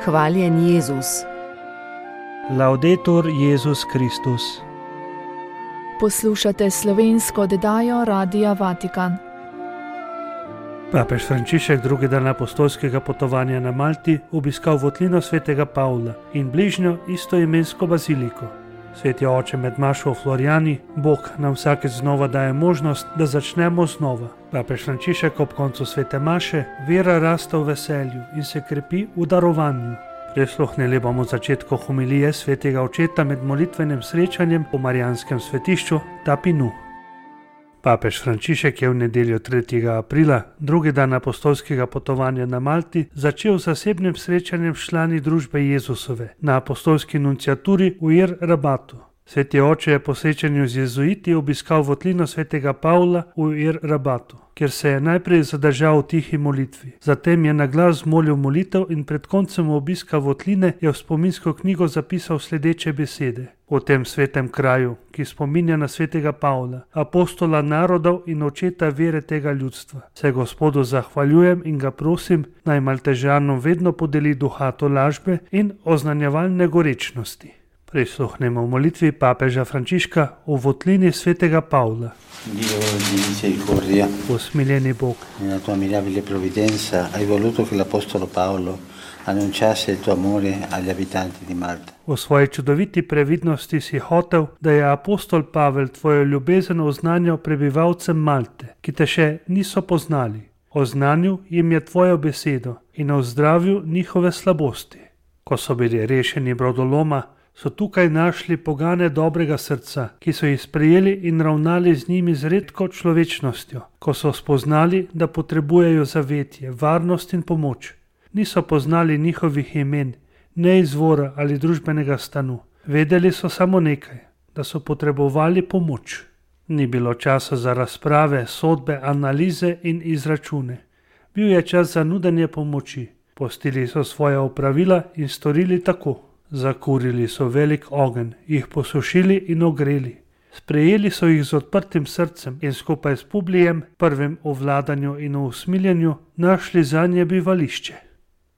Hvaljen Jezus. Laudetur Jezus Kristus. Poslušate slovensko oddajo Radia Vatikan. Papež Frančišek drugi dan apostolskega potovanja na Malti obiskal votlino svetega Pavla in bližnjo istoimensko baziliko. Sveti oče med mašo v Florijani, Bog nam vsakeč znova daje možnost, da začnemo znova. Papež Frančišek ob koncu svete maše vera raste v veselju in se krepi v darovanju. Prisluhnili bomo začetku homilije svetega očeta med molitvenim srečanjem po marijanskem svetišču Tapinu. Papež Frančišek je v nedeljo 3. aprila, drugi dan apostolskega potovanja na Malti, začel z zasebnim srečanjem s člani družbe Jezusove na apostolski nunciaturi v Ir Rabatu. Sveti oče je po srečanju z jezuiti obiskal votlino svetega Pavla v Ir Rabatu, kjer se je najprej zadržal v tihi molitvi. Zatem je na glas molil molitev in pred koncem obiska votline je v spominsko knjigo zapisal sledeče besede. V tem svetem kraju, ki spominja na svetega Pavla, apostola narodov in očeta vere tega ljudstva, se Gospodu zahvaljujem in ga prosim, naj Maltežanom vedno podeli duha tolažbe in oznanjevalne gorečnosti. Prisluhnemo v molitvi papeža Frančiška v votlini svetega Pavla. Usmiljeni Bog, nella tua mirabile provvidenza hai voluto che l'apostolo Paolo annunciasse il tuo amore agli abitanti di Malta. V svoji čudoviti previdnosti si hotel, da je apostol Pavel tvojo ljubezen oznanjal prebivalcem Malte, ki te še niso poznali. Oznanil jim je tvojo besedo in ozdravil njihove slabosti. Ko so bili rešeni brodoloma, so tukaj našli pogane dobrega srca, ki so jih sprejeli in ravnali z njimi z redko človečnostjo, ko so spoznali, da potrebujejo zavetje, varnost in pomoč. Niso poznali njihovih imen, ne izvora ali družbenega stanu. Vedeli so samo nekaj, da so potrebovali pomoč. Ni bilo časa za razprave, sodbe, analize in izračune. Bil je čas za nudenje pomoči. Postili so svoja opravila in storili tako. Zakurili so velik ogenj, jih posušili in ogreli. Sprejeli so jih z odprtim srcem in skupaj s Publijem, prvim v vladanju in v usmiljenju, našli zanje bivališče.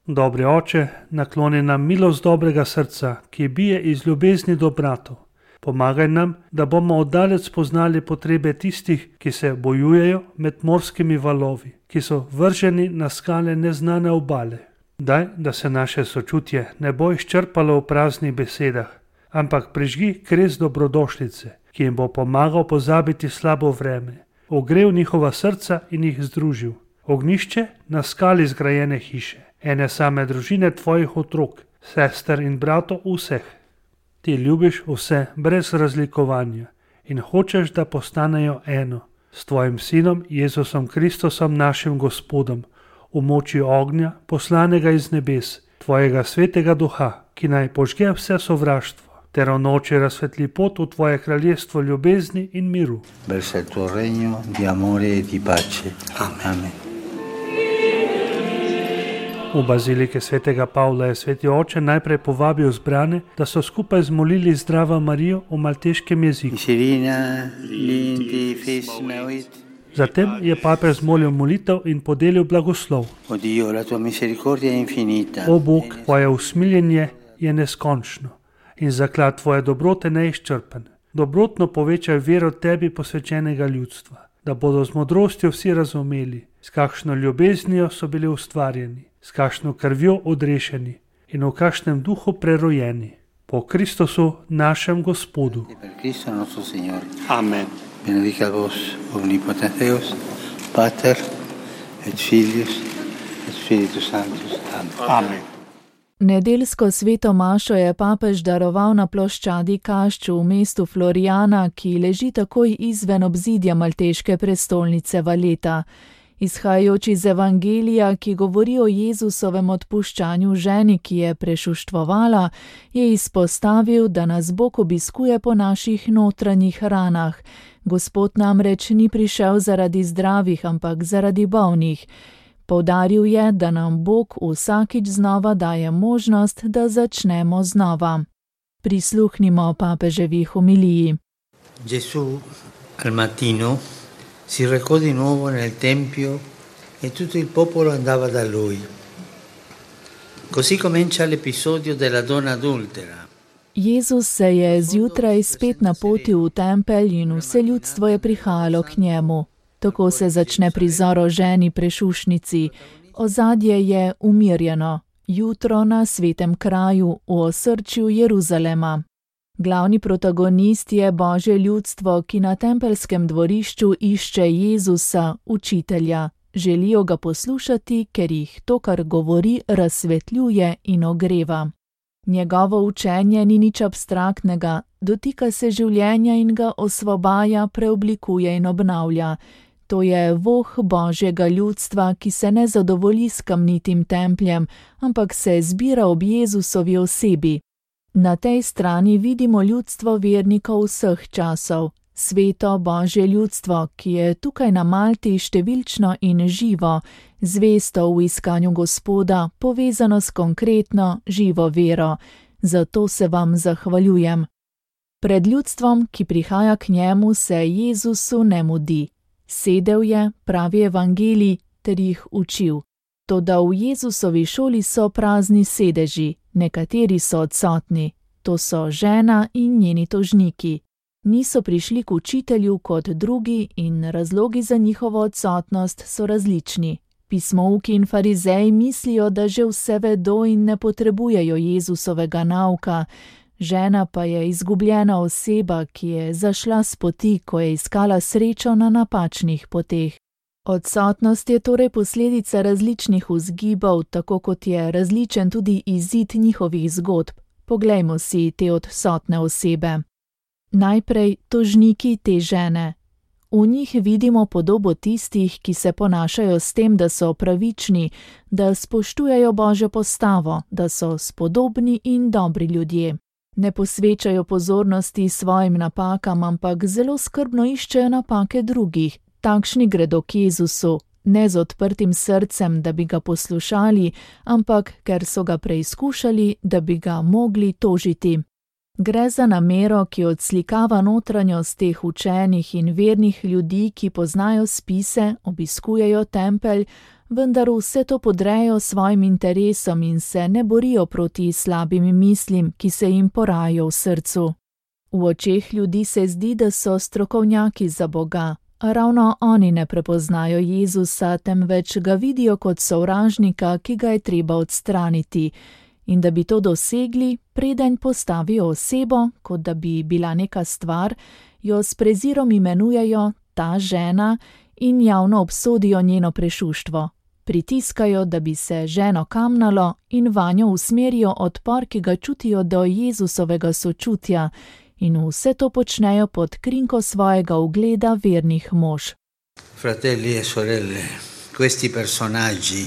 Dobri oče, nakloni nam milost dobrega srca, ki bije iz ljubezni do bratov. Pomagaj nam, da bomo oddalec spoznali potrebe tistih, ki se bojujejo med morskimi valovi, ki so vrženi na skale neznane obale. Daj, da se naše sočutje ne bo izčrpalo v praznih besedah, ampak prižgi kres dobrodošlice, ki jim bo pomagal pozabiti slabo vreme, ogrel njihova srca in jih združil. Ognjišče na skali zgrajene hiše, ene same družine tvojih otrok, sester in bratov vseh. Ti ljubiš vse brez razlikovanja in hočeš, da postanejo eno s tvojim sinom Jezusom Kristusom našim Gospodom, v moči ognja, poslanega iz nebes, tvojega svetega duha, ki naj požge vse sovraštvo, ter v noči razsvetli pot v tvoje kraljestvo ljubezni in miru. Verso il tuo regno di amore e di pace. Amen. V bazilike svetega Pavla je sveti oče najprej povabil zbrane, da so skupaj zmolili Zdrava Marijo v malteškem jeziku. Zatem je papež zmolil molitev in podelil blagoslov. O Bog, tvoje usmiljenje je neskončno in zaklad tvoje dobrote neizčrpen. Dobrotno povečaj vero tebi posvečenega ljudstva, da bodo z modrostjo vsi razumeli, s kakšno ljubeznijo so bili ustvarjeni, s kakšno krvjo odrešeni in v kakšnem duhu prerojeni. Po Kristusu našem Gospodu. Amen. Benedicat vos omnipotens Deus, Pater et Filius et Spiritus Sanctus. Amen. Nedeljsko sveto mašo je papež daroval na ploščadi Kašču v mestu Florijana, ki leži takoj izven obzidja malteške prestolnice Valeta. Izhajajoč iz Evangelija, ki govori o Jezusovem odpuščanju ženi, ki je prešuštvovala, je izpostavil, da nas Bog obiskuje po naših notranjih ranah. Gospod namreč ni prišel zaradi zdravih, ampak zaradi bolnih. Poudaril je, da nam Bog vsakič znova daje možnost, da začnemo znova. Prisluhnimo papeževi homiliji. Gesù al mattino si recò di nuovo nel tempio e tutto il popolo andava da lui. Così comincia l'episodio della donna adultera. Jezus se je zjutraj spet napotil v tempelj in vse ljudstvo je prihajalo k njemu. Tako se začne prizor o ženi prešušnici. Ozadje je umirjeno. Jutro na svetem kraju v osrčju Jeruzalema. Glavni protagonist je Božje ljudstvo, ki na tempeljskem dvorišču išče Jezusa, učitelja. Želijo ga poslušati, ker jih to, kar govori, razsvetljuje in ogreva. Njegovo učenje ni nič abstraktnega, dotika se življenja in ga osvobaja, preoblikuje in obnavlja. To je voh Božjega ljudstva, ki se ne zadovolji s kamnitim templjem, ampak se zbira ob Jezusovi osebi. Na tej strani vidimo ljudstvo vernikov vseh časov, sveto Božje ljudstvo, ki je tukaj na Malti številčno in živo, zvesto v iskanju Gospoda, povezano s konkretno, živo vero. Zato se vam zahvaljujem. Pred ljudstvom, ki prihaja k njemu, se Jezusu ne mudi. Sedel je, pravi evangelij, ter jih učil. Toda v Jezusovi šoli so prazni sedeži, nekateri so odsotni. To so žena in njeni tožniki. Niso prišli k učitelju kot drugi in razlogi za njihovo odsotnost so različni. Pismouki in farizeji mislijo, da že vse vedo in ne potrebujejo Jezusovega nauka. Žena pa je izgubljena oseba, ki je zašla s poti, ko je iskala srečo na napačnih poteh. Odsotnost je torej posledica različnih vzgibov, tako kot je različen tudi izid njihovih zgodb. Poglejmo si te odsotne osebe. Najprej tožniki te žene. V njih vidimo podobo tistih, ki se ponašajo s tem, da so pravični, da spoštujejo Božjo postavo, da so spodobni in dobri ljudje. Ne posvečajo pozornosti svojim napakam, ampak zelo skrbno iščejo napake drugih. Takšni gredo k Jezusu, ne z odprtim srcem, da bi ga poslušali, ampak ker so ga preizkušali, da bi ga mogli tožiti. Gre za namero, ki odslikava notranjost teh učenih in vernih ljudi, ki poznajo spise, obiskujejo tempelj, vendar vse to podrejo svojim interesom in se ne borijo proti slabim mislim, ki se jim porajajo v srcu. V očeh ljudi se zdi, da so strokovnjaki za Boga, a ravno oni ne prepoznajo Jezusa, temveč ga vidijo kot sovražnika, ki ga je treba odstraniti. In da bi to dosegli, preden postavijo osebo, kot da bi bila neka stvar, jo s prezirom imenujejo ta žena in javno obsodijo njeno prešuštvo. Pritiskajo, da bi se ženo kamnalo in vanjo usmerijo odpor, ki ga čutijo do Jezusovega sočutja, in vse to počnejo pod krinko svojega ugleda vernih mož. Fratelli e sorelle, questi personaggi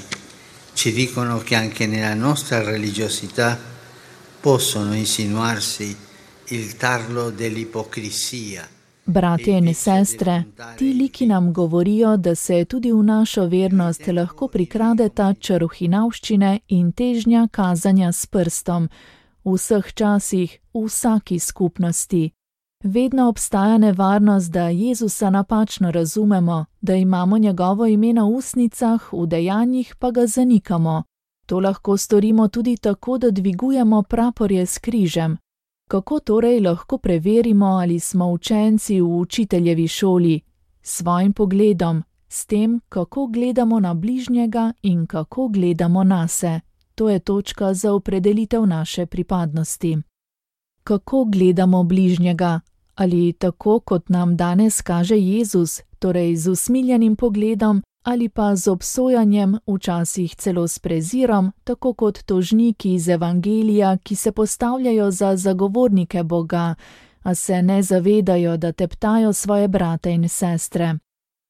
ci dicono che anche nella nostra religiosità possono insinuarsi il tarlo dell'ipocrisia. Bratje in sestre, ti liki nam govorijo, da se tudi v našo vernost lahko prikrade ta čarohinavščine in težnja kazanja s prstom, v vseh časih, v vsaki skupnosti. Vedno obstaja nevarnost, da Jezusa napačno razumemo, da imamo njegovo ime na ustnicah, v dejanjih pa ga zanikamo. To lahko storimo tudi tako, da dvigujemo praporje s križem. Kako torej lahko preverimo, ali smo učenci v učiteljevi šoli? S svojim pogledom, s tem, kako gledamo na bližnjega in kako gledamo nase. To je točka za opredelitev naše pripadnosti. Kako gledamo bližnjega? Ali tako, kot nam danes kaže Jezus, torej z usmiljenim pogledom, ali pa z obsojanjem, včasih celo s prezirom, tako kot tožniki iz evangelija, ki se postavljajo za zagovornike Boga, a se ne zavedajo, da teptajo svoje brate in sestre.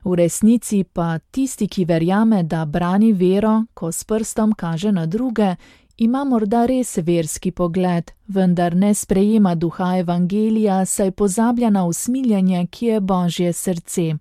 V resnici pa tisti, ki verjame, da brani vero, ko s prstom kaže na druge, ima morda res verski pogled, vendar ne sprejema duha evangelija, saj pozablja na usmiljenje, ki je Božje srce.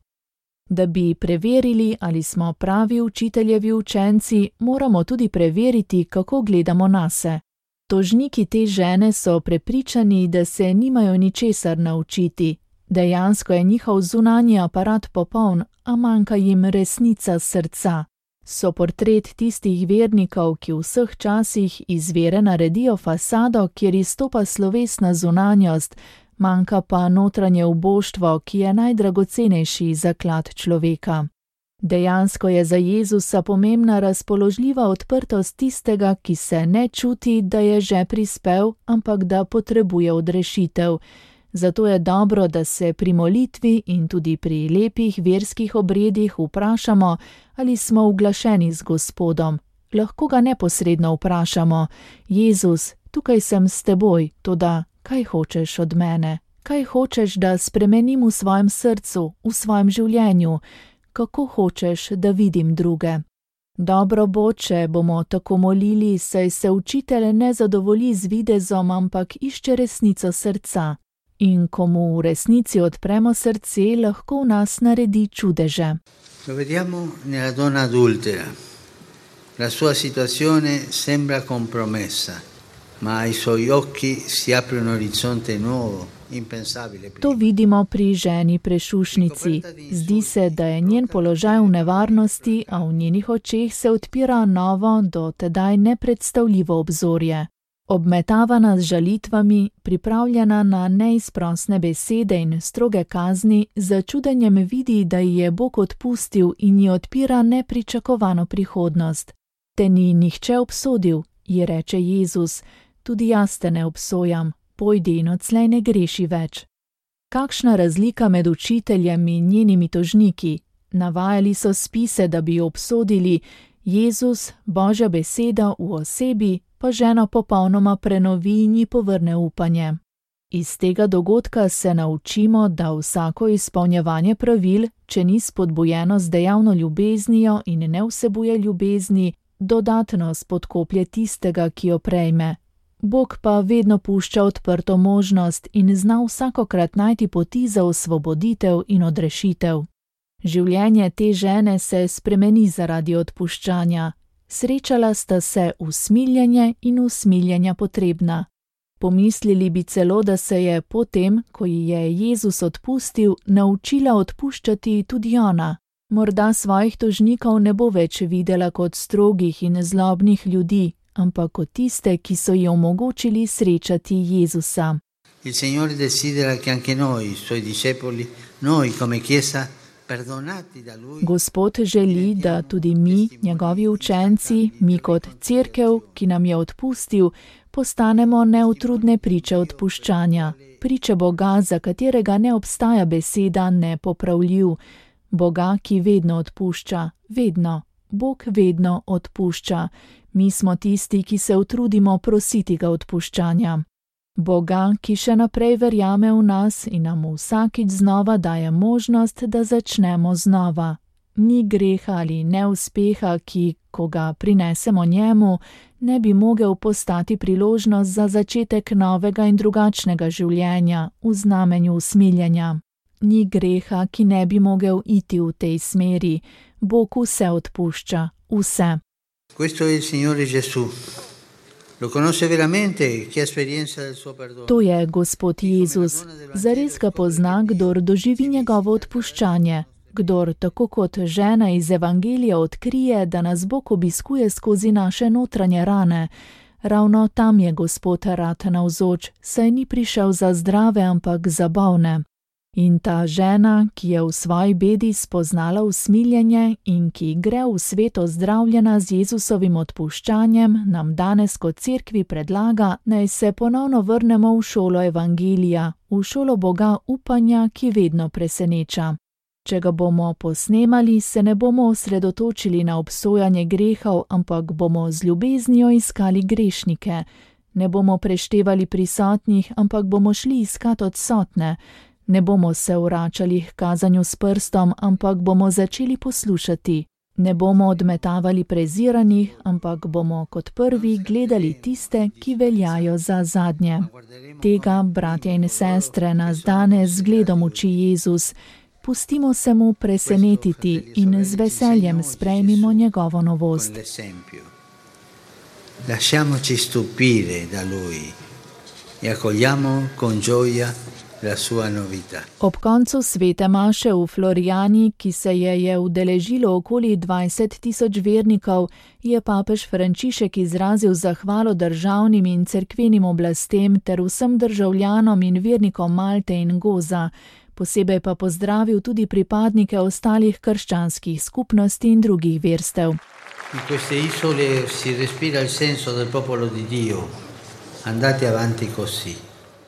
Da bi preverili, ali smo pravi učiteljevi učenci, moramo tudi preveriti, kako gledamo nase. Tožniki te žene so prepričani, da se nimajo ničesar naučiti. Dejansko je njihov zunanji aparat popoln, a manjka jim resnica srca. So portret tistih vernikov, ki v vseh časih iz vere naredijo fasado, kjer izstopa slovesna zunanjost, manjka pa notranje uboštvo, ki je najdragocenejši zaklad človeka. Dejansko je za Jezusa pomembna razpoložljiva odprtost tistega, ki se ne čuti, da je že prispel, ampak da potrebuje odrešitev. Zato je dobro, da se pri molitvi in tudi pri lepih verskih obredih vprašamo, ali smo uglašeni z Gospodom. Lahko ga neposredno vprašamo: Jezus, tukaj sem s teboj, toda kaj hočeš od mene? Kaj hočeš, da spremenim v svojem srcu, v svojem življenju? Kako hočeš, da vidim druge? Dobro bo, če bomo tako molili, saj se učitelj ne zadovolji z videzom, ampak išče resnico srca. In ko mu v resnici odpremo srce, lahko v nas naredi čudeže. Lo vediamo nella donna adultera. La sua situazione sembra compromessa, ma ai suoi occhi si apre un orizzonte nuovo, impensabile prima. To vidimo pri ženi prešušnici. Zdi se, da je njen položaj v nevarnosti, a v njenih očeh se odpira novo, do tedaj nepredstavljivo obzorje. Obmetavana z žalitvami, pripravljena na neizprosne besede in stroge kazni, z čudenjem vidi, da ji je Bog odpustil in ji odpira nepričakovano prihodnost. Te ni nihče obsodil, ji reče Jezus, tudi jaz te ne obsojam, pojdi in odslej ne greši več. Kakšna razlika med učiteljem in njenimi tožniki? Navajali so spise, da bi jo obsodili, Jezus, Božja beseda v osebi, pa ženo popolnoma prenovi in ji povrne upanje. Iz tega dogodka se naučimo, da vsako izpolnjevanje pravil, če ni spodbujeno z dejavno ljubeznijo in ne vsebuje ljubezni, dodatno spodkoplje tistega, ki jo prejme. Bog pa vedno pušča odprto možnost in zna vsakokrat najti poti za osvoboditev in odrešitev. Življenje te žene se spremeni zaradi odpuščanja. Srečala sta se usmiljenje in usmiljenja potrebna. Pomislili bi celo, da se je potem, ko ji je Jezus odpustil, naučila odpuščati tudi ona. Morda svojih tožnikov ne bo več videla kot strogih in zlobnih ljudi, ampak kot tiste, ki so ji omogočili srečati Jezusa. Il Signore desidera che anche noi, suoi discepoli, noi come Chiesa, Gospod želi, da tudi mi, njegovi učenci, mi kot cerkev, ki nam je odpustil, postanemo neutrudne priče odpuščanja, priče Boga, za katerega ne obstaja beseda nepopravljiv, Boga, ki vedno odpušča, vedno, Bog vedno odpušča, mi smo tisti, ki se utrudimo prositi ga odpuščanja. Boga, ki še naprej verjame v nas in nam vsakič znova daje možnost, da začnemo znova. Ni greha ali neuspeha, ki, ko ga prinesemo njemu, ne bi mogel postati priložnost za začetek novega in drugačnega življenja v znamenju usmiljenja. Ni greha, ki ne bi mogel iti v tej smeri. Bog vse odpušča, vse. Questo è il Signore Gesù. Lo conosce veramente chi ha esperienza del suo perdono. To je Gospod Jezus. Zares ga pozna, kdor doživi njegovo odpuščanje. Kdor, tako kot žena iz Evangelija, odkrije, da nas Bog obiskuje skozi naše notranje rane. Ravno tam je Gospod rad navzoč, saj ni prišel za zdrave, ampak za bolne. In ta žena, ki je v svoji bedi spoznala usmiljenje in ki gre v svet ozdravljena z Jezusovim odpuščanjem, nam danes kot cerkvi predlaga, naj se ponovno vrnemo v šolo Evangelija, v šolo Boga upanja, ki vedno preseneča. Če ga bomo posnemali, se ne bomo osredotočili na obsojanje grehov, ampak bomo z ljubeznijo iskali grešnike. Ne bomo preštevali prisotnih, ampak bomo šli iskat odsotne. Ne bomo se vračali k kazanju s prstom, ampak bomo začeli poslušati. Ne bomo odmetavali preziranih, ampak bomo kot prvi gledali tiste, ki veljajo za zadnje. Tega, bratje in sestre, nas danes z zgledom uči Jezus. Pustimo se mu presenetiti in z veseljem sprejmimo njegovo novost. Lasciamoci stupire da lui e accogliamo con gioia la sua novità. Ob koncu svete maše v Florijani, ki se je udeležilo okoli 20.000 vernikov, je papež Frančišek izrazil zahvalo državnim in cerkvenim oblastem ter vsem državljanom in vernikom Malte in Goza. Posebej pa pozdravil tudi pripadnike ostalih krščanskih skupnosti in drugih verstev. In queste isole si respira il senso del popolo di Dio. Andate avanti così.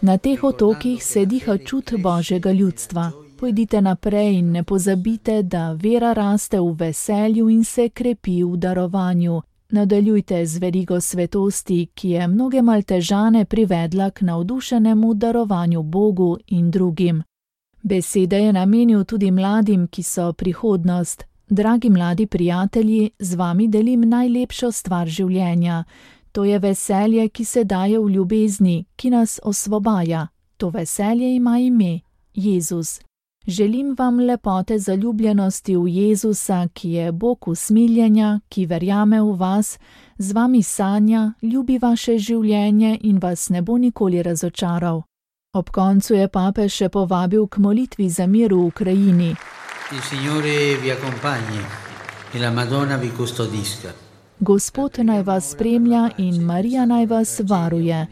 Na teh otokih se diha čut Božjega ljudstva. Pojdite naprej in ne pozabite, da vera raste v veselju in se krepi v darovanju. Nadaljujte z verigo svetosti, ki je mnoge Maltežane privedla k navdušenemu darovanju Bogu in drugim. Besede je namenil tudi mladim, ki so prihodnost. Dragi mladi prijatelji, z vami delim najlepšo stvar življenja. To je veselje, ki se daje v ljubezni, ki nas osvobaja. To veselje ima ime Jezus. Želim vam lepote zaljubljenosti v Jezusa, ki je Bog usmiljenja, ki verjame v vas, z vami sanja, ljubi vaše življenje in vas ne bo nikoli razočaral. Ob koncu je papež še povabil k molitvi za mir v Ukrajini. Il Signore vi accompagni e la Madonna vi custodisca. Gospod naj vas spremlja in Marija naj vas varuje.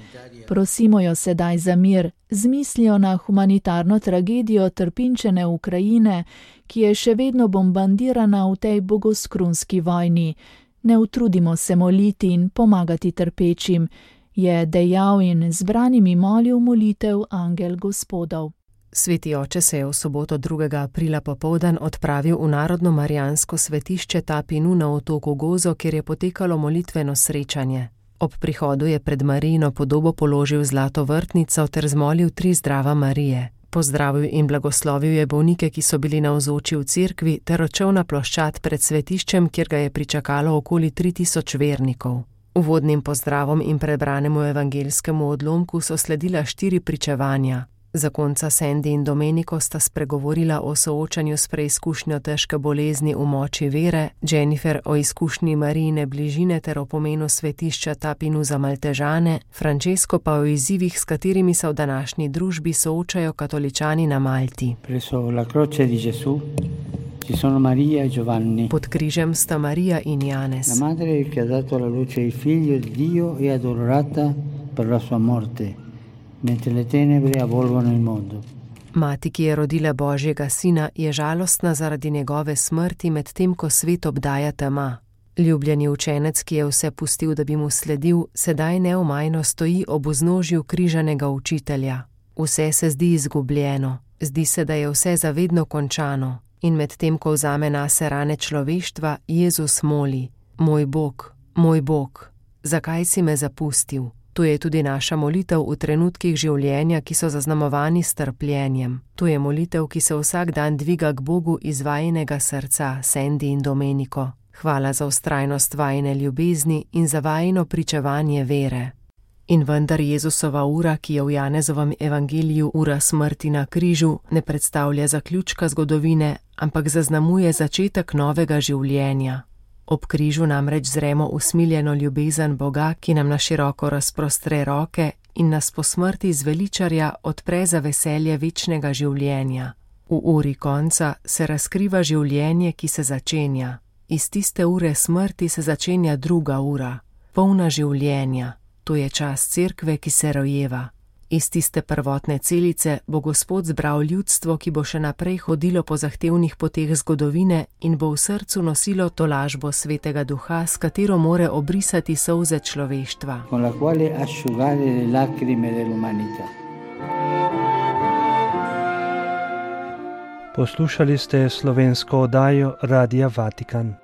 Prosimo jo sedaj za mir, z mislijo na humanitarno tragedijo trpinčene Ukrajine, ki je še vedno bombardirana v tej bogoskrunski vojni. Ne utrudimo se moliti in pomagati trpečim, je dejal in zbranimi molil molitev angel Gospodov. Sveti oče se je v soboto 2. aprila popoldan odpravil v Narodno marijansko svetišče Tapinu na otoku Gozo, kjer je potekalo molitveno srečanje. Ob prihodu je pred Marijino podobo položil zlato vrtnico ter zmolil 3 zdrava Marije. Pozdravil in blagoslovil je bolnike, ki so bili navzoči v cerkvi, ter odšel na ploščad pred svetiščem, kjer ga je pričakalo okoli 3000 vernikov. Uvodnim pozdravom in prebranemu evangelskemu odlomku so sledila 4 pričevanja. Zakonca Sandy in Domenico sta spregovorila o soočanju s preizkušnjo težke bolezni v moči vere, Jennifer o izkušnji Marijine bližine ter o pomenu svetišča Tapinu za Maltežane, Francesco pa o izzivih, s katerimi se v današnji družbi soočajo katoličani na Malti. Presso la croce di Gesù ci sono Maria e Giovanni. Pod križem sta Marija in Janez. La madre che ha dato alla luce il figlio di Dio è adorata per la sua morte. Mentre le tenebre avvolgono il mondo. Mati, ki je rodila Božjega sina, je žalostna zaradi njegove smrti, medtem ko svet obdaja tema. Ljubljeni učenec, ki je vse pustil, da bi mu sledil, sedaj neomajno stoji ob vznožju križanega učitelja. Vse se zdi izgubljeno, zdi se, da je vse zavedno končano. In medtem ko vzame nase rane človeštva, Jezus moli: moj Bog, zakaj si me zapustil? To je tudi naša molitev v trenutkih življenja, ki so zaznamovani s trpljenjem. To je molitev, ki se vsak dan dviga k Bogu iz vajinega srca, Sandy in Domenico. Hvala za vztrajnost vajine ljubezni in za vajino pričevanje vere. In vendar Jezusova ura, ki je v Janezovem evangeliju ura smrti na križu, ne predstavlja zaključka zgodovine, ampak zaznamuje začetek novega življenja. Ob križu namreč zremo usmiljeno ljubezen Boga, ki nam na široko razprostre roke in nas po smrti zveličarja odpre za veselje večnega življenja. V uri konca se razkriva življenje, ki se začenja. Iz tiste ure smrti se začenja druga ura, polna življenja. To je čas cerkve, ki se rojeva. Iz tiste prvotne celice bo Gospod zbral ljudstvo, ki bo še naprej hodilo po zahtevnih poteh zgodovine in bo v srcu nosilo tolažbo Svetega Duha, s katero more obrisati solze človeštva. Con la quale asciugare le lacrime dell'umanità. Poslušali ste slovensko oddajo Radia Vatikan.